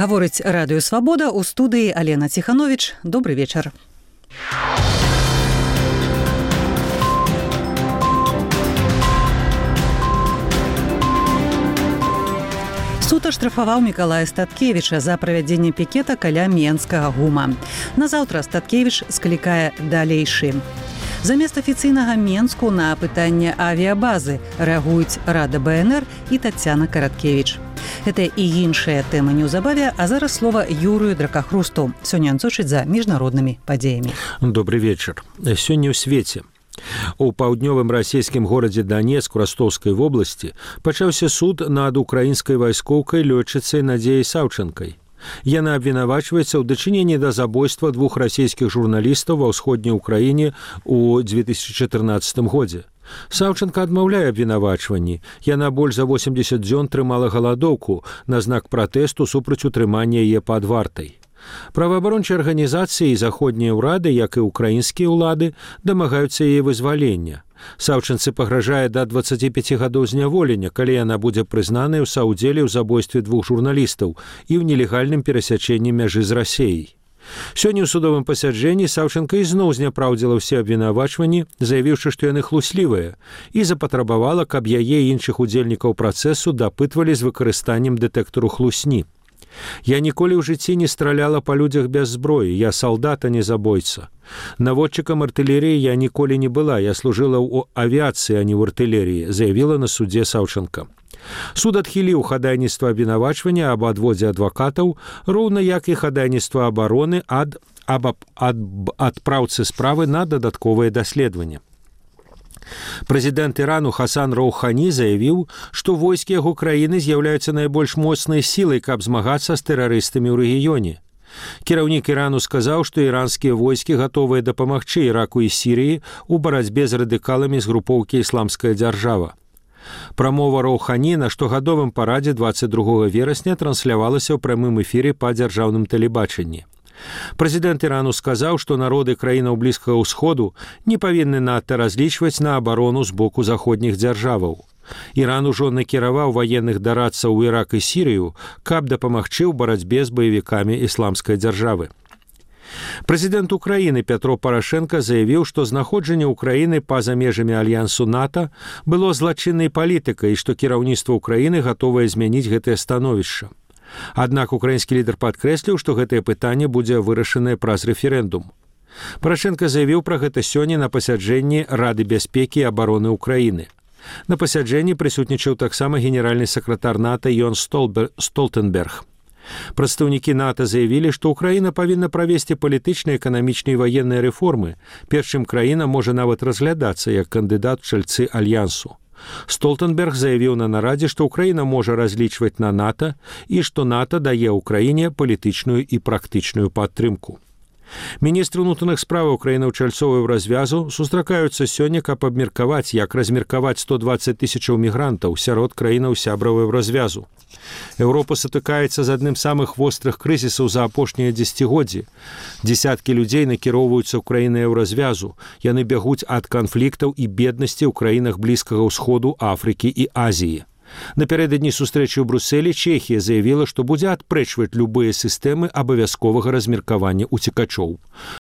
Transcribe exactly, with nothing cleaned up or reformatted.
Гаворыць Радыё Свабода, у студыі Алена Ціхановіч. Добры вечар. Суд аштрафаваў Мікалая Статкевіча за правядзенне пікета каля Менскага гума. Назаўтра Статкевіч склікае далейшы. Замест афіцыйнага Менску на пытанне авіябазы рэагуюць Рада БНР і Тацяна Караткевіч. Гэта і іншыя тэмы неўзабаве, а зараз слова Юрыю Дракахрусту. Сёння ён сочыць за міжнароднымі падзеямі. Добрый вечар. Сёння ў свеце. У паўднёвым расійскім горадзе Данецк Ростовскай вобласці пачаўся суд над украінскай вайскоўкай лётчыцай Надзеяй Саўчанкай. Яна абвінавачваецца ў дачыненні да забойства двух расійскіх журналістаў ва ўсходняй Украіне ў дзве тысячы чатырнаццатым годзе. Саўчанка адмаўляе абвінавачванні. Яна больш за восемдзесят дзён трымала галадоўку на знак пратэсту супраць утрымання яе пад вартай. Праваабарончыя арганізацыі і заходнія ўрады, як і ўкраінскія ўлады, дамагаюцца яе вызвалення. Саўчанцы пагражае да дваццаці пяці гадоў зняволення, калі яна будзе прызнаная ў саўдзеле ў забойстве двух журналістаў і ў нелегальным перасячэнні мяжы з Расеяй. Сёння ў судовым пасяджэнні Саўчанка ізноў зняпраўдзіла ўсе абвінавачванні, заявіўшы, што яны хлуслівыя, і запатрабавала, каб яе і іншых удзельнікаў працэсу дапытвалі з выкарыстаннем дэтэктару хлусні. Я ніколі ў жыцці не страляла па людзях без зброі, я салдат, а не забойца. Наводчыкам артылерыі я ніколі не была, я служыла ў авіяцыі, а не ў артылерыі, заявіла на судзе Саўчанка. Суд адхіліў хадайніцтва абвінавачвання аб адводзе адвакатаў, роўна як і хадайніцтва абароны ад, аб ад, адпраўцы справы на дадатковае даследаванне. Прэзідэнт Ірану Хасан Роўхані заявіў, што войскі яго краіны з'яўляюцца найбольш моцнай сілай, каб змагацца з тэрарыстамі ў рэгіёне. Кіраўнік Ірану сказаў, што іранскія войскі гатовыя дапамагчы Іраку і Сірыі ў барацьбе з радыкаламі з групоўкі «Ісламская дзяржава». Прамова Роўхані на штогадовым парадзе дваццаць другога верасня транслявалася ў прамым эфіры па дзяржаўным тэлебачанні. Прэзідэнт Ірану сказаў, што народы краінаў Блізкага ўсходу не павінны надта разлічваць на абарону з боку заходніх дзяржаваў. Іран ужо накіраваў ваенных дарадцаў у Ірак і Сірыю, каб дапамагчы ў барацьбе з баевікамі ісламскай дзяржавы. Прэзідэнт Украіны Пятро Парашенка заявіў, што знаходжанне Украіны па-за межамі альянсу НАТО было злачыннай палітыкай і што кіраўніцтва Украіны гатовае змяніць гэтае становішча. Аднак украінскі лідар падкрэсліў, што гэтае пытанне будзе вырашанае праз рэферэндум. Парашенка заявіў пра гэта сёння на пасяджэнні Рады бяспекі і абароны Украіны. На пасяджэнні прысутнічаў таксама генеральны сакратар НАТО Йон Столтенберг. Прадстаўнікі НАТО заявілі, што Украіна павінна правесці палітычныя, эканамічныя і ваенныя рэформы, перш чым краіна можа нават разглядацца як кандыдат у чальцы альянсу. Столтенберг заявіў на нарадзе, што Украіна можа разлічваць на НАТО і што НАТО дае ўкраіне палітычную і практычную падтрымку. Міністры ўнутраных справаў краінаў чальцовую развязу сустракаюцца сёння, каб абмеркаваць, як размеркаваць сто дваццаць тысячаў мігрантаў сярод краінаў сябравую развязу. Еўропа сутыкаецца з адным з самых вострых крызісаў за апошнія дзесяцігоддзі. Дзесяткі людзей накіроўваюцца ў краіны еўразвязу. Яны бягуць ад канфліктаў і беднасці ў краінах Блізкага ўсходу, Афрыкі і Азіі. Напярэдадні сустрэчы ў Брусэлі Чэхія заявіла, што будзе адпрэчваць любыя сістэмы абавязковага размеркавання ўцекачоў.